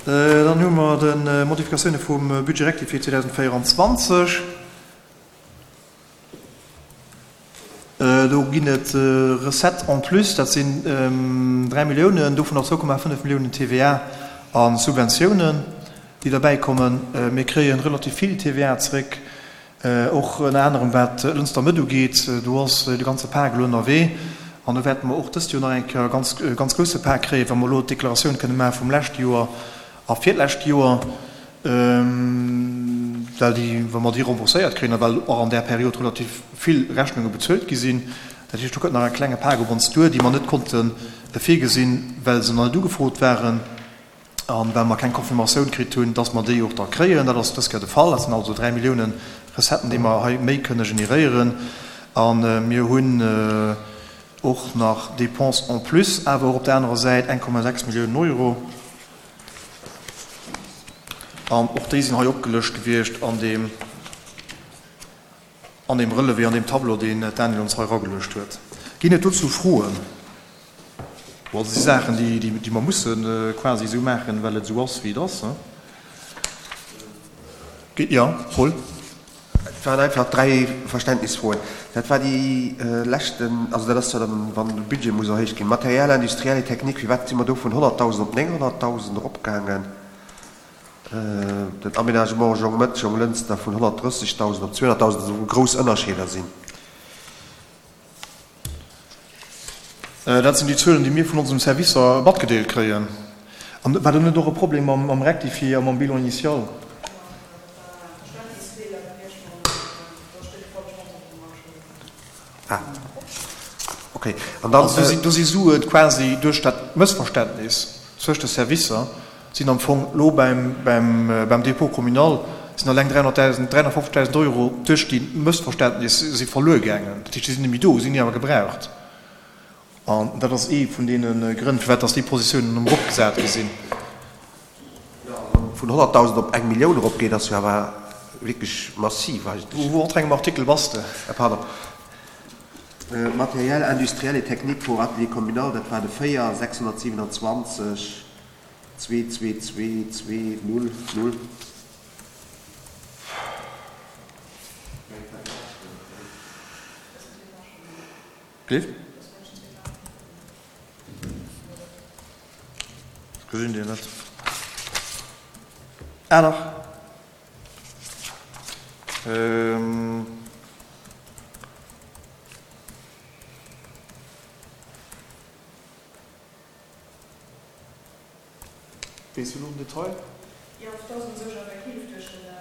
Dann hu mer de Modifikatioune vum Budget rectifié 2024. Do ginn et Recettes en plus, dat sinn 3 Milliounen, dovunner 2,5 Milliounen TVA a Subventiounen, déi derbäikommen. Mir kréie relativ vill TVA zeréck, och ënner anerem wat Lënster Mëtt ugeet. Do ass de ganze Pak elo ënnerwee an do wäerte mer och dëst Joer nach eng Kéier e ganz, ganz grousse Pak kréien, wa mer elo d'Deklaratioun kënne maache vum leschte Joer a virlescht Joer, well déi, wa mer déi rembourséiert kréien a well och an där Period relativ vill Rechnunge bezuelt gi sinn. Dat heescht, do kënnt nach e klenge Pak op ons duer, déi mer net konnte virgesinn, well se nach net ugefrot waren a well mer keng Confirmatioun kritt hunn, dass mer déi och da kréien. Dat ass dës Kéier de Fall. Dat sinn also 3 Milliounen Recetten, déi mer hei méi kënne generéieren. A mir hunn och nach Dépenses en plus, awer och op där anerer Säit 1,6 Milliounen Euro. An och déi sinn hei opgelëscht gewiescht an deem, an deem Relevé, an deem Tableau, deen d'Danièle ons hei erageluecht huet. Ginn et dozou Froen? Bon, dat si Saachen, déi, déi mer musse quasi esou maachen, well et esou ass, wéi et ass. Jo, Paul? Et waren einfach dräi Verständnisfroen. Dat war déi leschten, also dat ass jo dann, wann de Budget muss erhéicht ginn, Matériel industriel et technique, firwat si mer do vun 100.000 op 900.000 eropgaangen? Den Aménagement Jongmëtt, Jonglënster vun 130.000 op 200.000, also wou grouss Ënnerscheeder sinn. Dat sinn déi Zuelen, déi mir vun onsem Servicer matgedeelt kréien. An war do net och e Problem mam Rectifié a mam Bilan initial? Also do si Sue quasi duerch dat Mëssverständnis zwëscht de Servicer sinn am Fong elo beim Dépôt communal sinn alleng 300.000, 350.000 Euro duerch déi Mëssverständnis si verluer gaangen. Dat heescht, déi sinn net méi do, sinn ni awer gebraucht. An dat ass ee vun deene Grënn, firwat dass déi Positiounen eropgesat gi sinn. Jo, also vun 100.000 op eng Millioun eropgeet, ass jo awer wierklech massiv eigentlech. Wou op engem Artikel bass de? Pardon. Matériel industriel et technique pour atelier communal, dat war de 4, 627. Zwee, zwee, zwee, zwee, null, null. Cliff? Ech gesinn deen net. Ah dach. Weess du elo den Detail? Jo, et ass u sech effektiv duerch de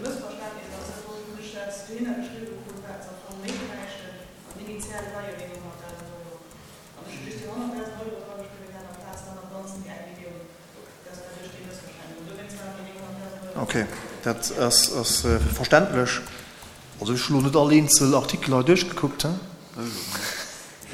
Mëssverständnis ass et wou ech dat dohinner geschriwwe krut, wat se am Fong méi bräichten. An initial war jo déi 100.000 Euro. An ech hu just déi 100.000 Euro drageschriwwen gehat amplaz dann am Ganzen déi eng Millioun. Dat war duerch dee Mëssverständnis. An dowéinst waren déi 900.000 Euro. Ok, dat ass verständlech. Also ech hu lo net all eenzel Artikel hei duerchgekuckt.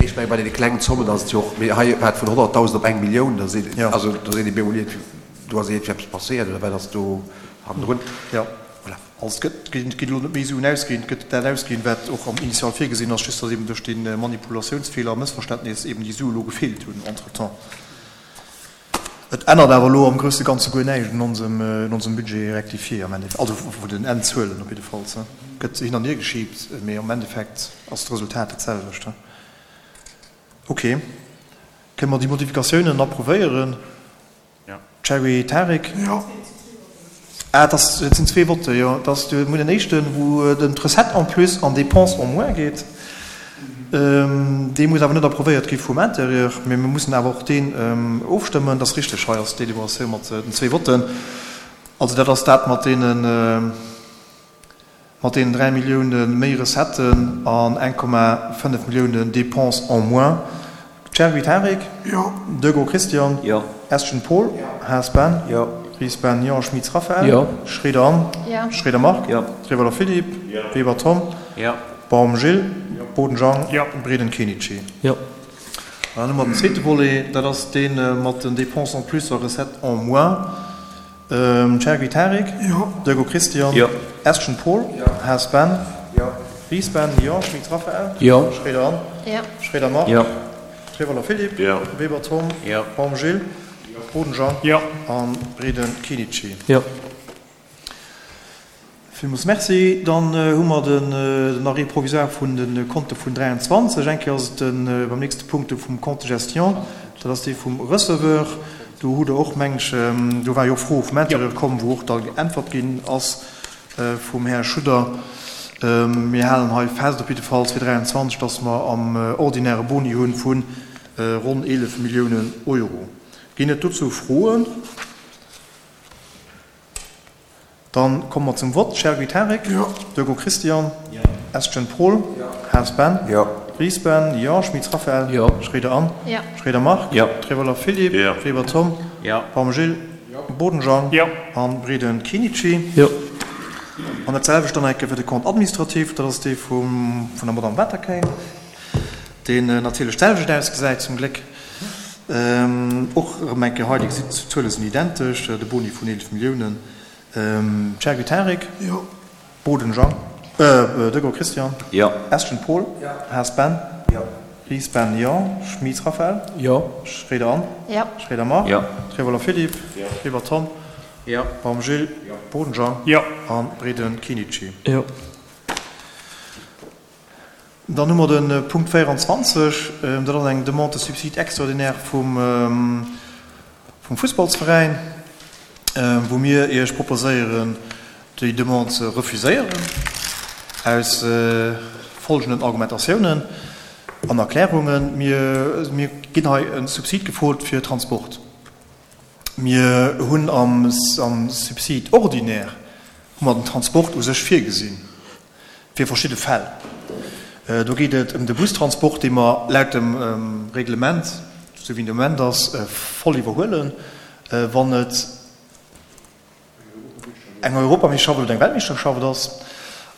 Ech mengen, bei deene klengen Zommen ass et jo och, mee hei war et vun 100.000 op eng Millioun, da seet, also da seet ee bemol iergendwéi, do ass iergendwéi eppes passéiert oder wat ass do hannendrun. Jo, voilà. Also et gëtt, et geet elo net méi Suen ausginn, et gëtt dat ausginn, wat och am Initial virgesinn ass, just datt eben duerch dee Manipulatiounsfeeler a Mëssverständnis eben déi Sue elo gefeelt hunn entretemps. Et ännert awer elo am grousse Ganze guer näischt un onsem, un onsem Budget rectifié am Endeffekt, also vun den Endzuelen op jiddefalls. Gëtt hin an hier geschiebt, mee am Endeffekt ass d'Resultat dat selwecht. Ok, kënne mer déi Modifikatiounen approuvéieren? Cherry Tarik? Jo. Ah, et ass, et sinn zwee Votte, jo. Et ass de, mir hunn en éischten, wou et ëm d'Recette en plus an Dépenses en moins geet. Dee muss awer net approuvéiert gi vum Intérieur, mee mir mussen awer och deen ofstëmmen. Dat ass richteg, hei ass d'Deliberatioun mat den zwee Votten. Also dat ass dat mat deenen. Mat deenen 3 Millioune méi Recetten an 1,5 Milliounen Dépenses en moins. Cherby Tarik? Jo. Degaux Christian? Jo. Estgen Paul? Jo. Haas Ben? Jo. Ries Ben? Jo. Schmitz Raphaël? Jo. Schroeder Anne? Jo. Schroeder Marc? Jo. Trewelder Philippe? Jo. Weber Tom? Jo. Baum Gilles? Jo. Boden Jean? Jo. Breden Kenichi? Jo. An dann hu mer den zweete Volet, dat ass dee mat den Dépenses en plus a Recettes en moins. Chergui Tarik? Jo. Degaux Christian? Jo. Estgen Paul? Jo. Haas Ben? Jo. Ries Ben? Jo. Schmitz Raphaël? Jo. Schroeder Anne? Jo. Schroeder Marc? Jo. Trewelder Philippe? Jo. Weber Tom? Jo. Baum Gilles? Jo. Boden Jean. Jo. A Breden Kenichi. Jo. Villmools Merci. Dann hu mer den Arrêt provisoire vun de Konte vun 23. Eng Kéier ass et de beim nächste Punkt de vum Compte de gestion, dat ass dee vum Receveur. Do hutt Der och, meng ech, do war jo och Fro vum Intérieur komm, wou och da geäntwert ginn ass vum Här Schudder. Mir halen hei fest op jiddefalls fir 23, dass mer am ordinäre Boni hu vu ronn 11 Milliounen Euro. Ginn et dozou Froen? Dann komme mer zum Vott. Chergui Tarek? Jo. Durgo Christian? Jo. Estgen Paul? Jo. Haas Ben? Jo. Ries Ben? Jo. Schmitz Raphaël? Jo. Schroeder Anne? Jo. Schroeder Marc? Jo. Trevoller Philippe? Jo. Weber Tom? Jo. Baum Gilles? Jo. Boden Jean? Jo. An Breden Kinici? Jo. An dat selwecht dann eng Kéier fir de Compte administratif, dat ass dee vum, vun der Madame Waterkeil. Deen natierlech d'selwecht ausgesäit, zum Gléck. Och erëm eng Kéier hei, Dir gesitt, d'Zuele sinn identesch, de Boni vun 11 Milliounen. Chergui Tarek. Jo. Boden Jean, Degaux Christian. Jo. Estgen Paul. Jo. Haas Ben. Jo. Ries Ben, jo. Schmitz Raphaël. Jo. Schroeder Anne. Jo. Schroeder Marc. Jo. Trevoller Philippe. Jo. Weber Tom. Jo. Baum Gilles. Jo. Boden Jean. Jo. A Breden Kinici. Jo. Dann hu mer de Punkt 24, dat ass eng Demande de subside extraordinaire vum Fussballsveräin, wou mir Iech proposéieren, déi Demande ze refuséieren, aus folgenden Argumentatiounen an Erklärungen. Mir ginn hei e Subsid gefrot fir Transport. Mir hunn am Subside ordinaire hu mer den Transport u sech virgesinn. Fir verschidde Fäll. Do geet et ëm de Bustransport, dee mer laut dem Reglement, esou wéi en de Moment ass, voll iwwerhuelen, wann et eng Europameeschterschaft oder eng Weltmeeschterschaft ass.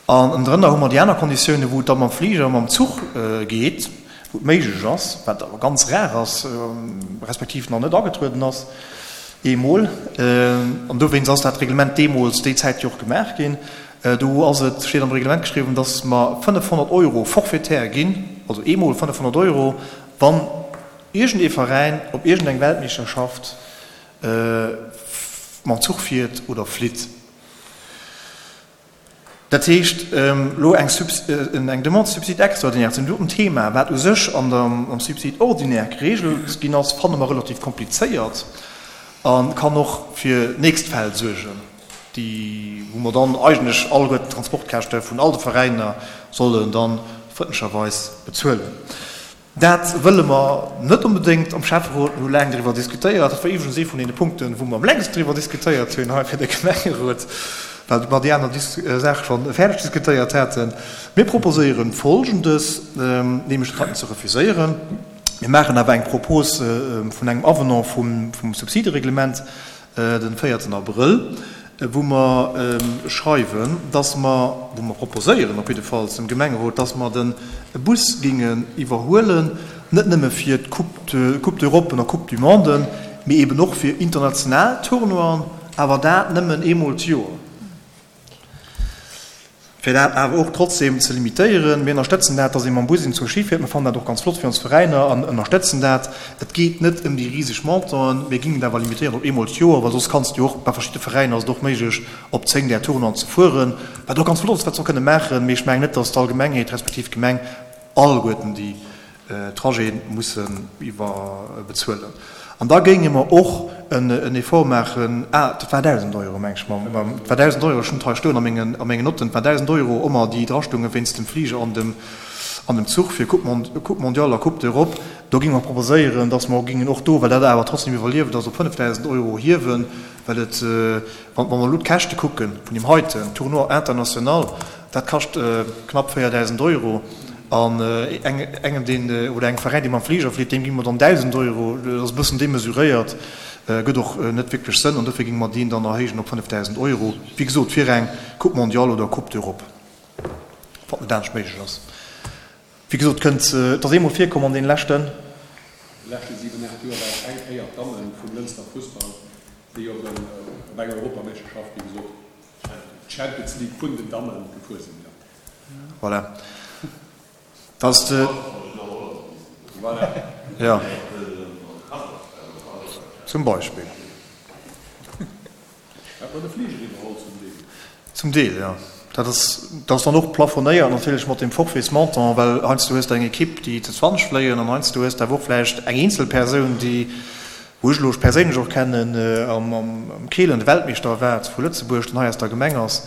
An ënnendrënner hu mer déi aner Konditiounen, wou et da mam Fliger a mam Zuch geet, wou et méiglech ass, wat awer ganz rar ass, respektiv nach net agetrueden ass eemol. An dowéinst ass dat Reglement deemools déi Zäit jo och gemaach ginn. Do ass et, steet am Reglement geschriwwen, dass mer 500 Euro forfaitaire ginn, also eemol 500 Euro, wann iergend ee Veräin op iergend eng Weltmeeschterschaft mam Zuch fiert oder flitt. Dat heescht, elo eng eng Demande de subside extraordinaire zu deem doten Thema, wat u sech an der, am Subside ordinaire geregelt ginn ass, fanne mer relativ komplizéiert a kann och fir nächst Fäll suergen. déi wou mer dann eigentlech alleguerten d'Transportkäschte vun all de Veräiner sollen dann frëndlecherweis bezuelen. Dat wëlle mer net onbedéngt am Schäfferot. Mir hu laang driwwer diskutéiert. Dat war iwwregens ee vun deene Punkten, wou mer am längsten driwwer diskutéiert hunn hei fir de Gemengerot, well mer déi aner Saache scho fäerdeg diskutéiert haten. Mir proposéieren Folgendes, nämlech dat heiten ze refuséieren. Mir maachen awer eng Propos vun engem Avenant vum Subsidereglement, den véierten Abrëll, wou mer schreiwen, dass mer, wou mer proposéieren op jiddefalls dem Gemengerot, dass mer de Bus géingen iwwerhuelen, net nëmme fir d'Coupe, Coupe d'Europe an Coupe du Monde, mee eben och fir international Tournoien, awer dat nëmmen eemol d'Joer. Fir dat awer och trotzdem ze limitéieren, mir ënnerstëtzen dat, dass ee mam Bus in zur Ski fiert. Mir fannen dat och ganz flott fir ons Veräiner an ënnerstëtzen dat. Et geet net ëm déi riseg Montanten, mir gingen et awer limitéieren op eemol d'Joer, well soss kanns de jo och, bei verschidde Veräiner ass et och méiglech, op 10 där Tournoien ze fueren, wat och ganz flott ass, wat se och kënne maachen. Mee ech mengen net, dass d'Allgemengheet respektiv d'Gemeng alleguerten déi Trajeten mussen iwwer bezuelen. An da géinge mer och en Effort maachen, ah, dat war 1.000 Euro, meng ech, et war 1.000 Euro, ech hunn et hei stoen a mengen, a mengen Notten, et war 1.000 Euro ëmmer, déi drastounge wéinst dem Fliger an dem, an dem Zuch fir Coupe Mon-, Coupe mondiale a Coupe d'Europe. Do géinge mer proposéieren, dass mer géingen och do, well dat awer trotzdem iwwerlieft ass, op 5.000 Euro hiewen, well et, wa mer elo d'Käschte kucke vun deem heiten Tournoi international, Dat kascht knapp 4.000 Euro. An engem, deen, oder engem Veräin, dee mam Fliger flitt, deem gi mer dann 1.000 Euro. Dat ass e bëssen demesuréiert, gëtt och net wierklech Sënn. An dofir géinge mer deen dann erhéijen op 5.000 Euro, wéi gesot, fir eng Coupe mondiale oder Coupe d'Europe, wann et net anescht méiglech ass. Wéi gesot, kënnt, et ass eemol virkomm an deene leschten. Leschte 7, 8 Joer war et eng Kéier d'Damme vum Lënster Fussball, déi op eng Europameeschterschaft, wéi gesot, D'Champions League vun den Dammen gefuer sinn, jo. Voilà. Dat ass de. Voilà. Jo. Zum Beispill. Hat mer de Fliger iwwerholl zum Deel. Zum Deel, jo. Dat ass, dat ass dann och plafonéiert natierlech mat deem Forfaitsmontant, well heiansdo hues de eng Ekipp, déi zu 20 fléien an heiansdo hues de awer och vläicht eng eenzel Persoun, déi, wou ech elo perséinlech och kennen, am Keelen de Weltmeeschter war vu Lëtzebuerg, deen hei aus der Gemeng ass.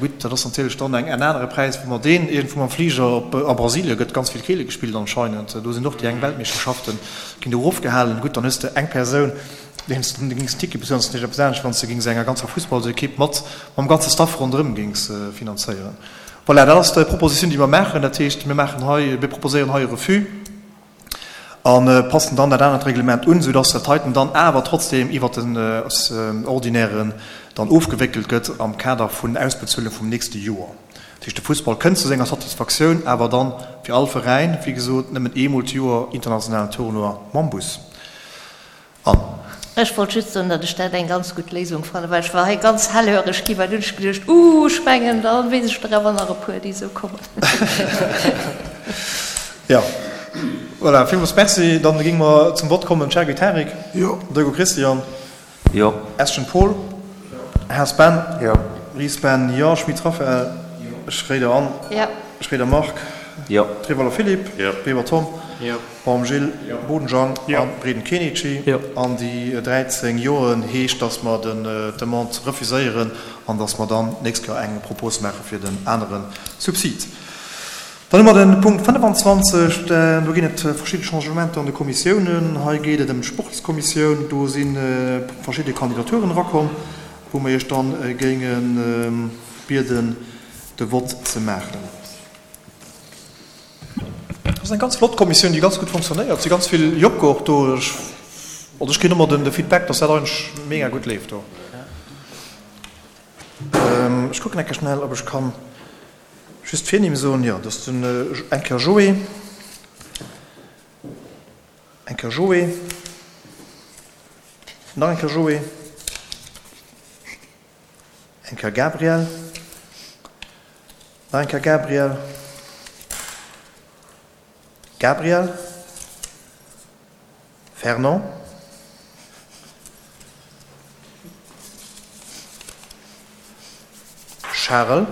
Gutt, dat ass natierlech dann eng en anere Präis, wou mer deen iergendwou mam Fliger op, a Brasilie gëtt ganz vill Keele gespillt anscheinend, do sinn och déi eng Weltmeeschterschaften, ginn do erofgehalen. Gutt, dann hues de eng Persoun, deem s de gings en Ticket bezuelen, ass natierlech eppes anescht, wann s de gings enger ganzer Fussballsekipp mat mam ganze Staff ronderëm gings finanzéieren. Voilà, dat ass d'Propositioun, déi mer maachen. Dat heescht, mir maachen hei, mir proposéieren hei e Refus. A passen dann dat anert Reglement un, soudass dat heiten dann awer trotzdem iwwert den Ordinairen dann ofgewéckelt gëtt am Kader vun Ausbezuelung vum nächste Joer. Dat heescht, de Fussball kënnt zu senger Satisfaktioun, awer dann fir all Veräin, wéi gesot, nëmmen eemol d'Joer internationalen Tournoi mam Bus. An. Ech wollt just soen, datt ech dat eng ganz gutt Léisung fannen, well ech war hei ganz hellhöreg gi, well dunn hunn ech geduecht, Uuh, ech mengen, da weess ech der awer nach e puer, déi esou kommen. Jo, voilà, villmools Merci. Dann géinge mer zum Vott kommen. Chergui Tarik. Jo. Deugo Christian. Jo. Eschen Paul. Haas Ben. Jo. Ries Ben. Jo. Schmit Raphaël. Jo. Schréider Anne. Jo. Schréider Marc. Jo. Trevoller Philippe. Jo. Weber Tom. Jo. Baum Gilles, Boden Jang a Breden Kenichi. An déi 13 Joen heescht, dass mer d'Demande refuséieren an dass mer dann d'nächst Joer eng Propos maache fir den anere Subsid. Dann hu mer de Punkt 25. Do ginn et verschidde Changementer an de Kommissiounen. Hei geet et ëm d'Sportskommissioun. Do si verschidde Kandidaturen erakomm, wou mer Iech dann géinge bieden, de Vott ze maachen. Dat ass eng ganz flott Kommissioun, déi ganz gutt fonctionnéiert. Et si ganz vill Jocker och do. Ech, also ech kréien ëmmer den, de Feedback, dass dat eigentlech mega gutt leeft do. Ech kucken eng Kéier schnell, ob ech kann just d'Virnimm soen. Jo, dat ass den eng Kéier Joé, eng Kéier Joé, nach eng Kéier Joé, eng Kéier Gabriel. Nach eng Kéier Gabriel. Gabriel. Fernand. Charel.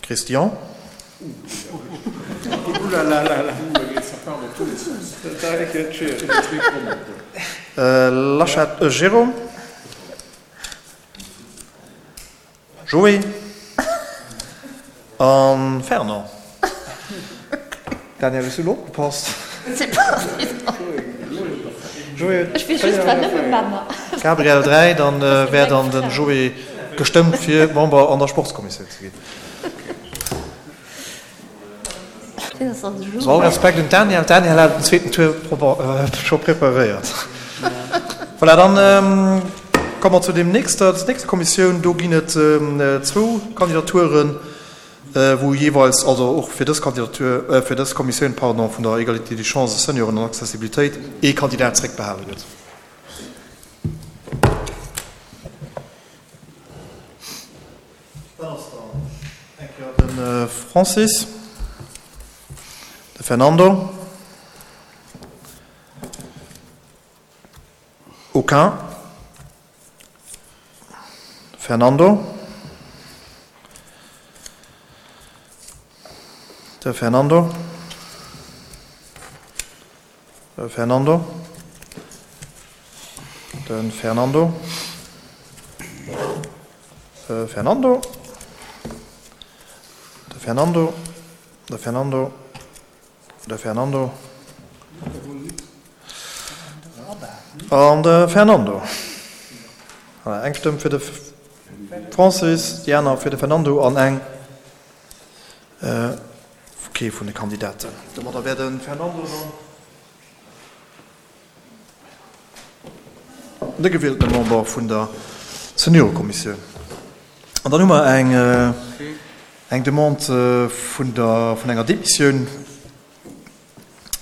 Christian. Laschet Jérôme. Joé a Fernand. Danièle, hues du elo opgepasst? Gabriel 3, dann wär dann den Joé gestëmmt fir Member an der Sportskommissioun ze ginn. Sou, all Respekt un d'Danièle. D'Danièle hat den zweeten Tour scho preparéiert. Voilà, dann komme mer zu deem nächster, zur nächster Kommissioun. Do ginn et zwou Kandidaturen, wou jeeweils, also och fir dës Kandidatur, fir dës Kommissioun, pardon, vun der Égalité des chances, Senioren an Accessibilitéit, ee Kandidat zréckbehale gëtt. Dat ass dann eng Kéier de Francis, de Fernando, aucun, Fernando, de Fernando, de Fernando, de Fernando, de Fernando, de Fernando, de Fernando, de Fernando an de Fernando. Voilà, eng Stëmm fir de Francis, déi aner fir de Fernando an eng kee vun de Kandidaten. Domadder wär de Fernando dann de gewieltene Member vun der Seniorekommissioun. An dann hu mer eng, eng Demande vun der, vun enger Demissioun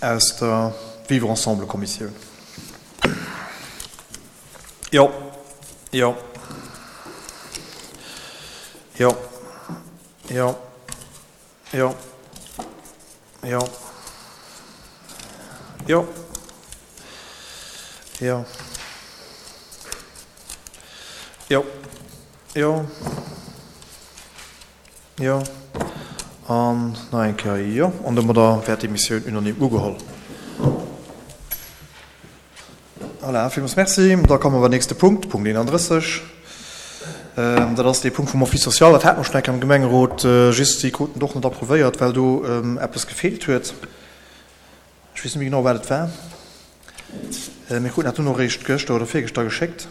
aus der Vivre ensemble Kommissioun. Jo, jo, jo, jo. Jo. Jo. Jo. Jo. Jo. Jo. Jo. An nach eng Kéier jo. An domadder wär d'Demissioun unanime ugeholl. Voilà, villmools Merci. Da komme mer beim nächste Punkt, Punkt 31. Dat ass dee Punkt vum Office social. Dat hate mer schonn eng Kéier am Gemengerot, just si kruten et och net approuvéiert, well do eppes gefeelt huet. Ech weess net méi genau, wat et war. Mir kruten dat dunn och eréischt gëschter oder virgëschter geschéckt.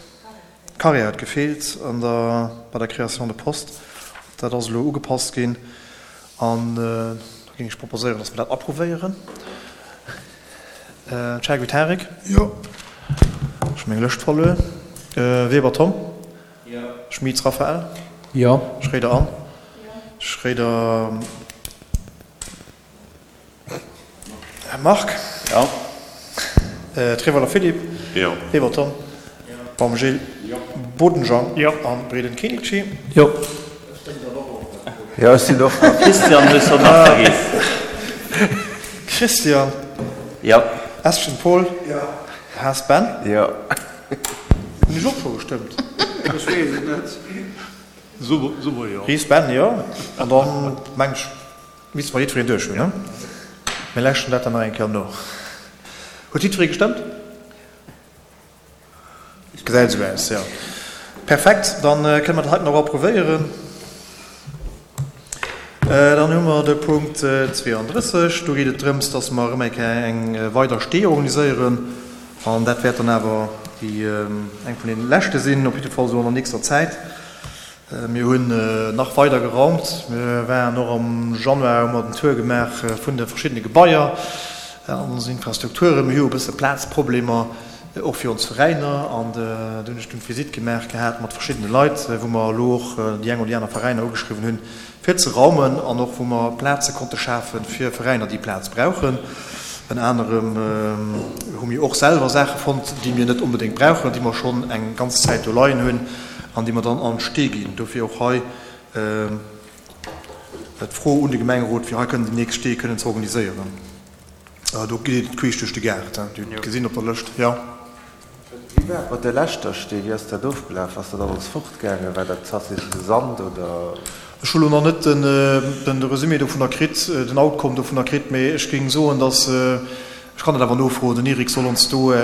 D'Carrière huet gefeelt an der, bei der Création de poste. Dat ass elo ugepasst ginn. An da géing ech proposéieren, dass mer dat approuvéieren. Chergui Tarik? Jo. Ech hu meng Lëscht verluer. Weber Tom? Jo. Schmitz Raphael? Jo. Schréider Anne? Schréider Marc? Jo. Trevoller Philippe? Jo. Weber Tom? Baum Gilles? Jo. Boden Jean? Jo. An Breden Kenichi? Jo. Jo, ech sinn och nach. Christian hues de nach vergiess. Christian? Jo. Eschen Paul? Jo. Haas Ben? Jo. Hunn ech och scho gestëmmt? Ech weess et net. Summer, jo. Ries Ben, jo. An dann meng ech misste mer jiddwereen duerch hunn, ne? Mir lauschteren dat dann nach eng Kéier no. Huet jiddweree gestëmmt? Gesäit esou aus, jo. Perfekt, dann kënne mer dat heiten och approuvéieren. Dann hu mer de Punkt 32. Do geet et drëms, dass mer erëm eng Kéier eng weider Stee organiséieren. An dat wäert dann awer déi eng vun deene leschte sinn, op jidde Fall esou an der nächster Zäit. Mir hunn nach weider geraumt. Mir waren och am Januar, hu mer den Tour gemaach vun de verschiddene Gebaier an onsen Infrastrukturen. Mir hu jo e bësse Plazproblemer, och fir ons Veräiner. An do hunn ech dunn d'Visitt gemaach gehat mat verschiddene Leit, wou mer elo och déi eng oder déi aner Veräiner ugeschriwwen hunn, fir ze raumen an och wou mer Plaze konnte schafe fir Veräiner, déi Plaz brauchen. Ënner anerem hu mir och selwer Saache fonnt, déi mir net onbedéngt brauchen, déi mer schonn eng ganz Zäit do leien hunn an déi mer dann an d'Stee ginn. Dofir och hei d'Fro un de Gemengerot, fir hei kënnen déi nächst Stee kënnen ze organiséieren. Do geet et queesch duerch de Gaart, Dir hutt et gesinn op der Lëscht, jo. Wéi war et mat der leschter Stee? Wéi ass dat ofgelaf? Ass dat alles fortgaangen? War dat tatsächlech de Sand oder? Ech hu lo nach net de Resumé dovunner kritt, den Outcome dovunner kritt, mee ech géing soen, dass, ech kann dat awer nofroen, den Eric soll ons do e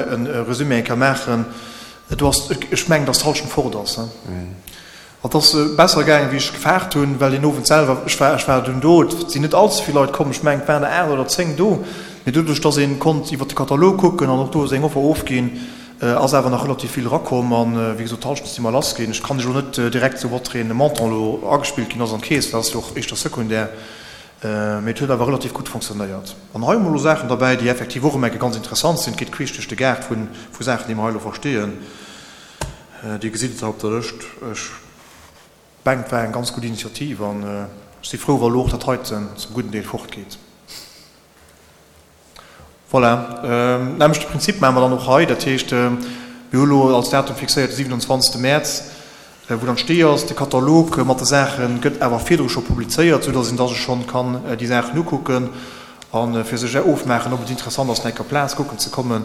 Resumé eng Kéier maachen. Do ass, ech mengen, dass d'Hallschent fort ass. Et ass besser gaangen, wéi ech gefaart hunn, well deen Owend selwer, ech war, ech war dunn do, et sinn net allze vill Leit komm, ech mengen, et waren der 8 oder 10 do, mee doduerch, dass ee konnt iwwer de Katalog kucken an och do seng Offer ofginn, ass awer nach relativ vill erakomm. An, wéi gesot, d'Hallschent si mer lass ginn. Ech kann lech elo net direkt soen, wat fir ee Montant elo agespillt ginn ass an d'Keess, dat ass jo och éischter sekundär, mee et huet awer relativ gutt fonctionnéiert. An hei hu mer elo Saachen derbäi, déi effektiv och ëm eng Kéier ganz interessant sinn. Et geet queesch duerch de Gaart vu Saachen, déi mer hei elo versteeën. Dir gesitt et hei op der Lëscht. Ech mengen, et war eng ganz gutt Initiativ an ech si frou, wa elo och dat heiten zum gudden Deel fortgeet. Voilà, nämmlechte Prinzip maache mer dann och hei. Dat heescht, mir hu elo als Datum fixéiert de 27. Mäerz, wou dann d'Stee ass. De Katalog mat de Saache gëtt awer virdru scho publizéiert, soudass een da sech schonn kann déi Saachen ukucken a fir sech ofmaachen, ob et interessant ass, nach eng Kéier op d'Plaz kucken ze kommen.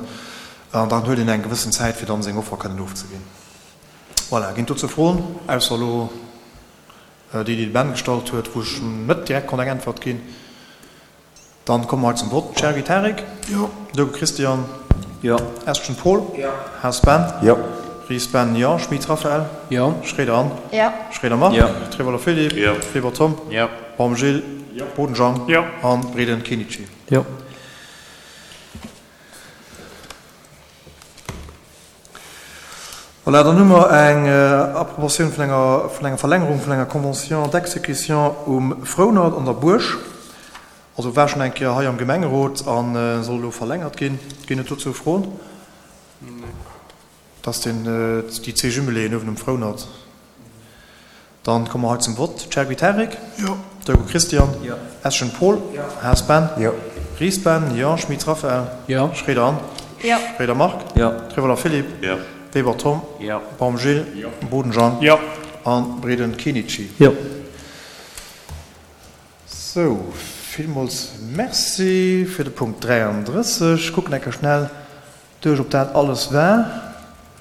An dann huet een eng gewëssen Zäit, fir dann seng Offer kënnen ofzeginn. Voilà, ginn et dozou Froen, ausser elo déi, déi de Ben gestallt huet, wou ech net direkt konnt eng Äntwert ginn. Dann komme mer hei zum Vott. Chergui Tarik? Jo. Dogo Christian? Jo. Eschen Paul? Jo. Haas Ben? Jo. Ries Ben, jo. Schmit Raphaël? Jo. Schroeder Anne? Jo. Schroeder Marc? Jo. Trevoller Philippe? Jo. Weber Tom? Jo. Baum Gilles? Jo. Boden Jean? Jo. An Breden Kenichi? Jo. Voilà, dann hu mer eng Approbatioun vun enger, vun enger Verlängerung vun enger Convention d'exécution um Frounert an der Buerg. Also war schonn eng Kéier hei am Gemengerot a soll elo verlängert ginn. Ginn et dozou Froen? Dat ass deen, déi Zee-Jumeléen uewen um Frounert. Dann komme mer hei zum Vott. Chergui Tarik? Jo. Dogo Christian? Jo. Eschen Paul? Jo. Haas Ben? Jo. Ries Ben? Jo. Schmit Raphaël? Jo. Schroeder Anne? Jo. Schroeder Marc? Jo. Trevoller Philippe? Jo. Weber Tom? Jo. Baum Gilles? Jo. Boden Jean? Jo. An Breden Kenichi? Jo. Sou, villmools Merci fir de Punkt 33. Kucken eng Kéier schnell. Duerch, ob dat alles war.